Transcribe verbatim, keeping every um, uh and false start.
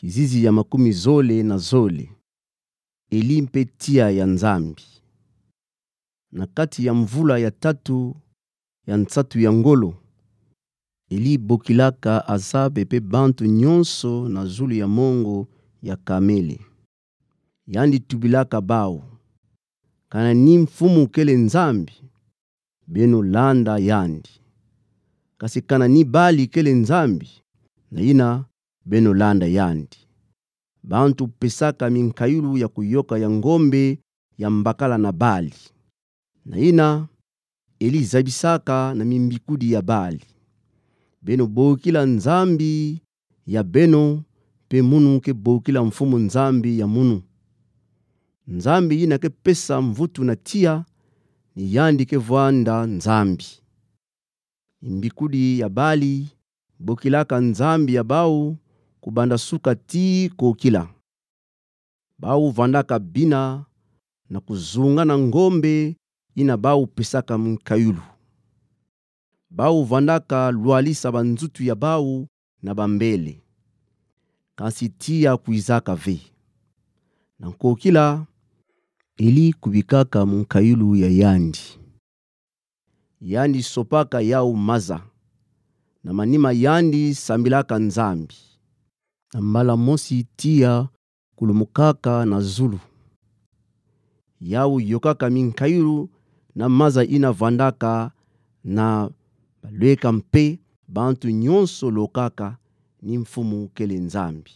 Kizizi ya makumi zole na zole. Eli mpe tiya ya Nzambi. Na kati ya mvula ya tatu ya nsatu ya ngolo, Eli bokilaka Azabe mpe bantu nyonso na zulu ya mongo ya Kamele. Yandi tubilaka bau: Kana ni mfumu kele Nzambi, beno landa yandi. Kasi kana ni Bali kele Nzambi, na yina beno landa yandi. Bantu pesaka minkayulu ya kuyoka ya ngombe ya mbakala na Bali. Na yina Eli zabisaka na mimbikudi ya Bali: Beno bokila nzambi ya beno, mpe munu ke bokila mfumu nzambi ya munu. Nzambi yina ke pesa mvutu na tiya, ni yandi ke vwanda Nzambi. Mimbikudi ya Bali bokilaka nzambi ya bau kubanda suka tii kokila. Bau vwandaka bina na kuzunga na ngombe yina bau pesaka minkayulu. Bau vwandaka lwalisa banzutu ya bau na bambele. Kansi tiya kwizaka ve. Na kokila, Eli kubikaka minkayulu ya yandi. Yandi sopaka yau maza. Na manima yandi sambilaka Nzambi. Na mbala mosi tiya kulumukaka na zulu. Yau yokaka minkayulu na maza yina vwandaka, na balweka mpe bantu nyonso lokaka ni mfumu kele Nzambi.